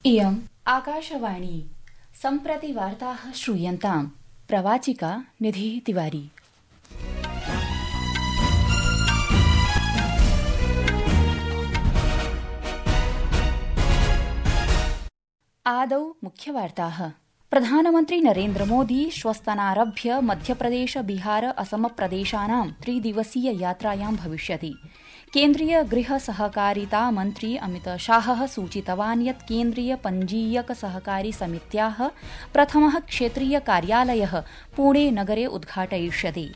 इयम् आकाशवाणी सम्प्रति वार्ताः श्रूयन्ताम्। प्रवाचिका निधि तिवारी। आदौ मुख्यवार्ताः। प्रधानमन्त्री नरेन्द्र मोदी श्वस्तनारभ्य मध्यप्रदेश बिहार असम प्रदेशानां 3-दिवसीय यात्रायां भविष्यति। केन्द्रीय गृह सहकारिता मन्त्री अमित शाहः सूचितवान् यत् केन्द्रीय पञ्जीयक सहकारी समित्याः प्रथमः क्षेत्रीय कार्यालयः पुणे नगरे उद्घाटयिष्यति।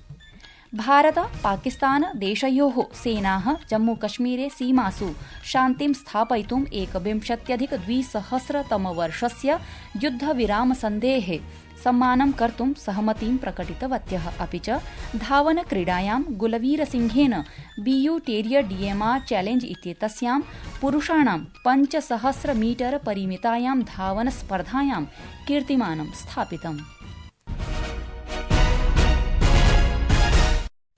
भारत पाकिस्तान देशयोः सेनाः जम्मूकश्मीरे सीमासु शान्तिं स्थापयितुं 21-2000-तमवर्षस्य युद्धविरामसन्धेः सम्मानं कर्तुं सहमतिं प्रकटितवत्यः। अपि च धावनक्रीडायां गुलवीरसिंहेन BU टेरियर DMR चैलेंज इत्येतस्यां पुरुषाणां 5000 मीटर परिमितायां धावनस्पर्धायां कीर्तिमानं स्थापितम्।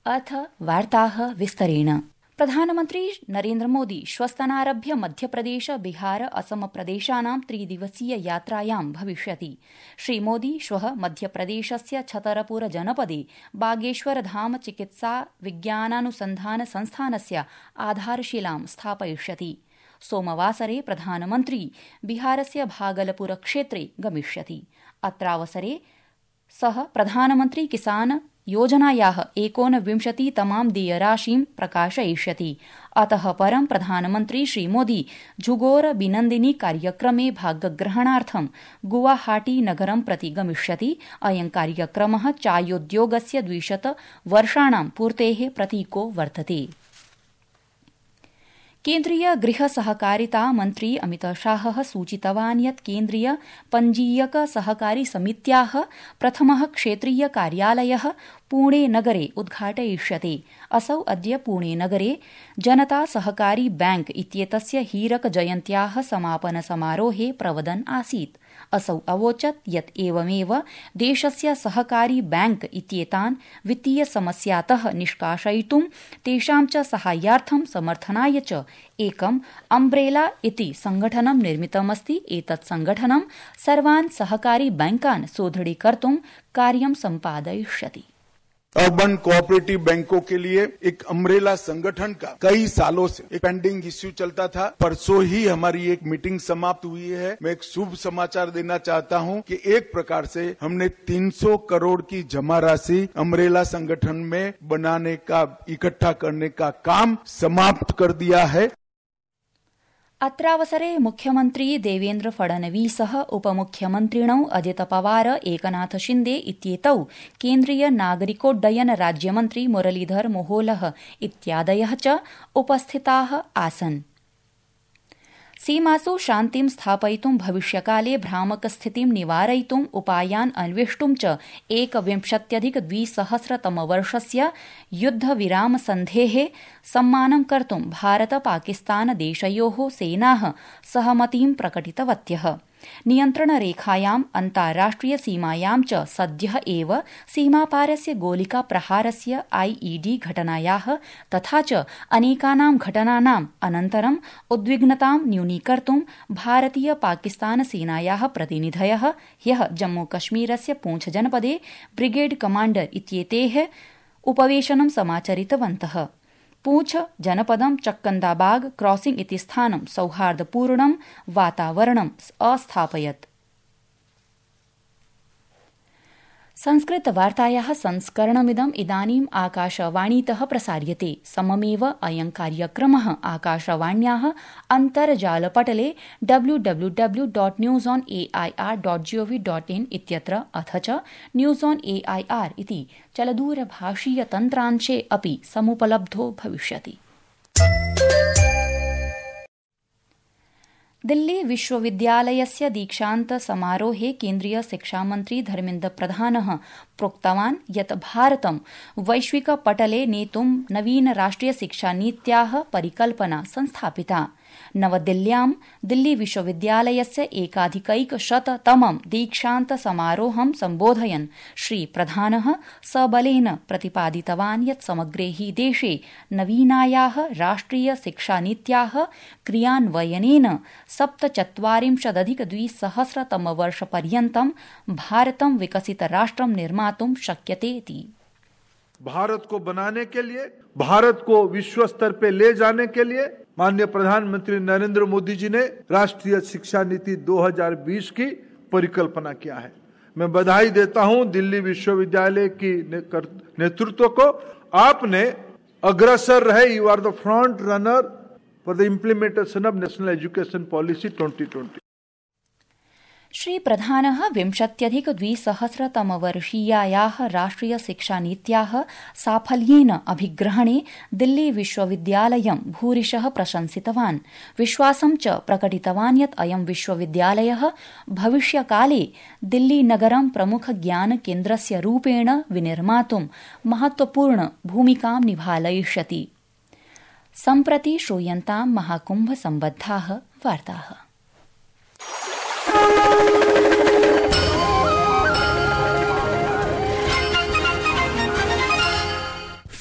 अथ वार्ताः विस्तरेण। प्रधानमन्त्री नरेन्द्र मोदी श्वस्तनारभ्य मध्यप्रदेश बिहार असम प्रदेशानां 3-दिवसीय यात्रायां भविष्यति। श्रीमोदी श्वः मध्यप्रदेशस्य छतरपुर जनपदे बागेश्वरधाम चिकित्सा विज्ञानानुसन्धान संस्थानस्य आधारशिलां स्थापयिष्यति। सोमवासरे प्रधानमन्त्री बिहारस्य भागलपुर क्षेत्रे गमिष्यति। अत्रावसरे सः प्रधानमन्त्री किसान योजनायाः 29तमां देयराशिं प्रकाशयिष्यति। अतः परं प्रधानमन्त्री श्रीमोदी झुगोर बिनन्दिनी कार्यक्रमे भागग्रहणार्थं गुवाहाटी नगरं प्रति गमिष्यति। अयं कार्यक्रमः चायोद्योगस्य 200 वर्षाणां पूर्तेः प्रतीको वर्तते। केन्द्रीय गृह सहकारिता मन्त्री अमित शाहः सूचितवान् यत् केन्द्रीय पञ्जीयक सहकारी समित्याः प्रथमः क्षेत्रीय कार्यालयः पुणे नगरे उद्घाटयिष्यते। असौ अद्य पुणे नगरे जनता सहकारी बैंक इत्येतस्य हीरक जयन्त्याः समापन समारोहे प्रवदन् आसीत्। असौ अवोचत् यत् एवमेव देशस्य सहकारी बैंक इत्येतान् वित्तीय समस्यातः निष्कासयितुं तेषां च साहाय्यार्थं समर्थनाय च एकम् अम्ब्रेला इति संघटनं निर्मितमस्ति। एतत् संघटनं सर्वान् सहकारी बैंकान् सुदृढीकर्तुं कार्यं सम्पादयिष्यति। अर्बन कोऑपरेटिव बैंकों के लिए एक अम्ब्रेला संगठन का कई सालों से एक पेंडिंग इश्यू चलता था। परसों ही हमारी एक मीटिंग समाप्त हुई है। मैं एक शुभ समाचार देना चाहता हूं कि एक प्रकार से हमने 300 करोड़ की जमा राशि अम्ब्रेला संगठन में बनाने का, इकट्ठा करने का काम समाप्त कर दिया है। अत्रावसरे मुख्यमन्त्री देवेन्द्र फडणवीसः उपमुख्यमन्त्रिणौ अजित पवार एकनाथ शिन्दे इत्येतौ केन्द्रीय नागरिकोड्डयन राज्यमन्त्री मुरलीधर मोहोलः इत्यादयः च उपस्थिताः आसन्। सीमासु शान्तिं स्थापयितुं भविष्यकाले भ्रामकस्थितिं निवारयितुं उपायान् अन्वेष्टुं च 21-2000-तमवर्षस्य युद्धविरामसन्धेः सम्मानं कर्तुं भारत पाकिस्तान देशयोः सेनाः सहमतिं प्रकटितवत्यः। नियन्त्रणरेखायाम् अन्ताराष्ट्रिय सीमायां च सद्यः एव सीमापारस्य गोलिका प्रहारस्य IED घटनायाः तथा च अनेकानां घटनानाम् अनन्तरं उद्विग्नतां न्यूनीकर्तुं भारतीय पाकिस्तान सेनायाः प्रतिनिधयः ह्यः जम्मूकश्मीरस्य पूंछ जनपदे ब्रिगेड कमाण्डर इत्येतेः उपवेशनं समाचरितवन्तः। पूंछ जनपदं चक्कन्दाबाग क्रॉसिंग इति स्थानं सौहार्दपूर्णं वातावरणम् अस्थापयत्। संस्कृतवार्तायाः संस्करणमिदम् इदानीम् आकाशवाणीतः प्रसार्यते। सममेव अयं कार्यक्रमः आकाशवाण्याः अन्तर्जालपटले www.newsonair.gov.in इत्यत्र अथ च न्यूज़ ऑन AIR इति चलदूरभाषीयतन्त्रांशे अपि समुपलब्धो भविष्यति। दिल्ली विश्वविद्यालयस्य दीक्षान्त समारोहे केन्द्रीय शिक्षामन्त्री धर्मेन्द्र प्रधानः प्रोक्तवान् यत् भारतं वैश्विकपटले नेतुं नवीन राष्ट्रिय शिक्षानीत्याः परिकल्पना संस्थापिता। नवदिल्ल्यां दिल्ली विश्वविद्यालयस्य एकाधिकैकशततमं दीक्षान्त समारोहं सम्बोधयन् श्रीप्रधानः सबलेन प्रतिपादितवान् यत् समग्रे हि देशे नवीनायाः राष्ट्रिय शिक्षानीत्याः क्रियान्वयनेन 47-2000तमवर्षपर्यन्तं भारतं विकसितराष्ट्रं निर्मातुं शक्यते इति। भारत को बनाने के लिए, भारत को विश्व स्तर पे ले जाने के लिए माननीय प्रधानमंत्री नरेंद्र मोदी जी ने राष्ट्रीय शिक्षा नीति 2020 की परिकल्पना किया है। मैं बधाई देता हूं दिल्ली विश्वविद्यालय की नेतृत्व को। आपने अग्रसर रहे, you are the front runner for the implementation of national education policy 2020। श्रीप्रधानः 20-2000तमवर्षीयायाः राष्ट्रिय शिक्षानीत्याः साफल्येन अभिग्रहणे दिल्ली विश्वविद्यालयं भूरिशः प्रशंसितवान्। विश्वासं च प्रकटितवान् यत् अयं विश्वविद्यालयः भविष्यकाले दिल्लीनगरं प्रमुखज्ञानकेन्द्रस्य रूपेण विनिर्मातुं महत्वपूर्ण भूमिकां निभालयिष्यति। सम्प्रति श्रूयन्तां महाकुम्भसम्बद्धाः वार्ताः।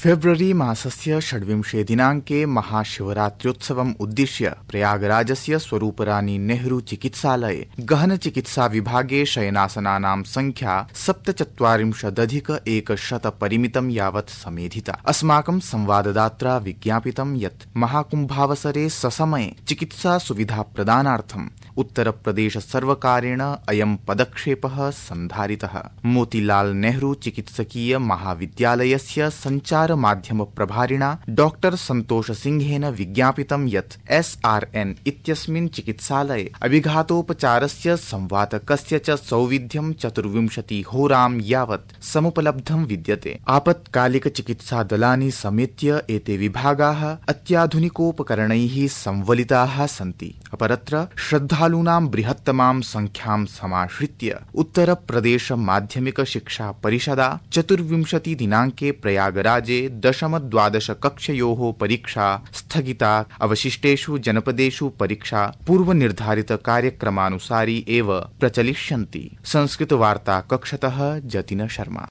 फेब्रुवरी मासस्य 26 दिनाङ्के महाशिवरात्र्योत्सवम् उद्दिश्य प्रयागराजस्य स्वरूपरानी नेहरू चिकित्सालये गहन चिकित्सा विभागे शयनासनानां संख्या 47,100 परिमितं यावत् समेधिता। अस्माकं संवाददात्रा विज्ञापितं यत् महाकुम्भावसरे ससमये चिकित्सा सुविधा प्रदानार्थं उत्तरप्रदेश सर्वकारेण अयं पदक्षेपः सन्धारितः। मोतीलाल नेहरू चिकित्सकीय महाविद्यालयस्य संचार माध्यम प्रभारिणा डॉक्टर संतोष सिंहेन विज्ञापितं यत् SRN इत्यस्मिन् चिकित्सालये अभिघातोपचारस्य संवातकस्य च सौविध्यं 24 होरां यावत् समुपलब्धं विद्यते। आपत्कालिक चिकित्सा दलानि समेत्य एते विभागाः अत्याधुनिकोपकरणैः संवलिताः सन्ति। अपरत्र श्रद्धालूनां बृहत्तमां संख्यां समाश्रित्य उत्तरप्रदेश माध्यमिक शिक्षा परिषदा 24 दिनाङ्के प्रयागराजे 10-12 कक्षयोः परीक्षा स्थगिता। अवशिष्टेषु जनपदेषु परीक्षा पूर्वनिर्धारित कार्यक्रमानुसारी एव प्रचलिष्यन्ति। संस्कृतवार्ता कक्षतः जतिन शर्मा।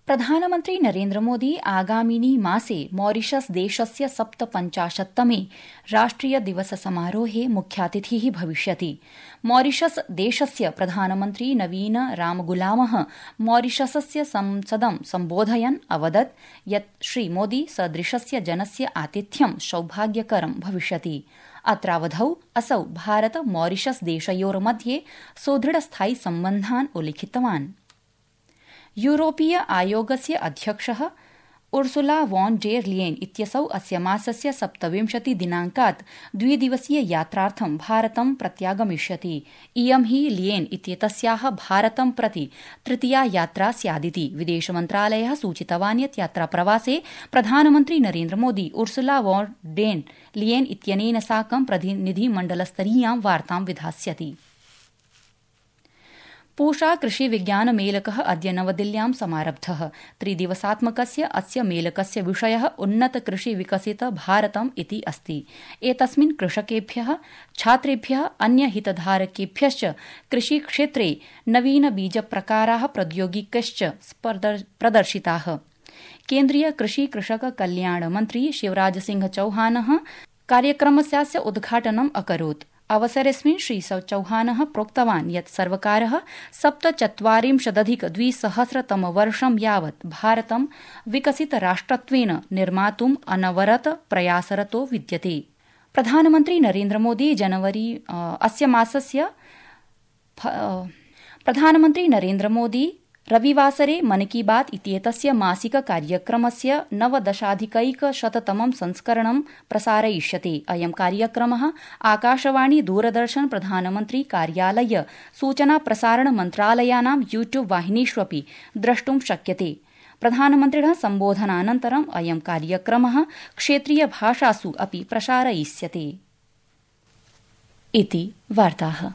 प्रधानमन्त्री नरेन्द्र मोदी आगामिनि मासे मॉरिशस देशस्य 57तमे राष्ट्रिय दिवस समारोहे मुख्यातिथिः भविष्यति। मॉरिशस देशस्य प्रधानमन्त्री नवीन रामगुलामः मॉरिशसस्य संसदं सम्बोधयन् अवदत् यत् श्रीमोदी सदृशस्य जनस्य आतिथ्यं सौभाग्यकरं भविष्यति। अत्रावधौ असौ भारत मॉरिशस देशयोर्मध्ये सुदृढस्थायि सम्बन्धान् उल्लिखितवान्। यूरोपीय आयोगस्य अध्यक्षः उर्सुला वॉन डेर लियेन इत्यसौ अस्य मासस्य 27 दिनाङ्कात् द्विदिवसीय यात्रार्थं भारतं प्रत्यागमिष्यति। इयं हि लियेन इत्येतस्याः भारतं प्रति तृतीया यात्रा स्यादिति विदेशमन्त्रालयः सूचितवान् यत् यात्राप्रवासे प्रधानमन्त्री Narendra Modi Ursula von der Leyen इत्यनेन साकं प्रतिनिधिमण्डलस्तरीयां वार्तां विधास्यति। पूषा कृषि विज्ञान मेलकः अद्य नवदिल्ल्यां समारब्धः। 3 दिवसात्मकस्य अस्य मेलकस्य विषयः उन्नत कृषि विकसित भारतम् इति अस्ति। एतस्मिन् कृषकेभ्यः, छात्रेभ्यः, अन्य हितधारकेभ्यश्च कृषिक्षेत्रे नवीन बीजप्रकाराः प्रौद्योगिकश्च प्रदर्शिताः। केन्द्रीय कृषि कृषक कल्याण मन्त्री शिवराज सिंह चौहानः कार्यक्रमस्यास्य उद्घाटनम् अकरोत्। अवसरेऽस्मिन् श्री चौहानः प्रोक्तवान् यत् सर्वकारः 47-200तमवर्षं यावत् भारतं विकसितराष्ट्रत्वेन निर्मातुम् अनवरत प्रयासरतो विद्यते। प्रधानमन्त्री नरेन्द्र मोदी रविवासरे मन की बात इत्येतस्य मासिक कार्यक्रमस्य 19-100तमं संस्करणं प्रसारयिष्यते। अयं कार्यक्रमः आकाशवाणी, दूरदर्शन, प्रधानमन्त्री कार्यालय, सूचना प्रसारण मन्त्रालयानां यूट्यूब वाहिनीष्वपि द्रष्टुं शक्यते। प्रधानमन्त्रिणः सम्बोधनानन्तरम् अयं कार्यक्रमः क्षेत्रीय भाषासु अपि प्रसारयिष्यते। इति वार्ताः।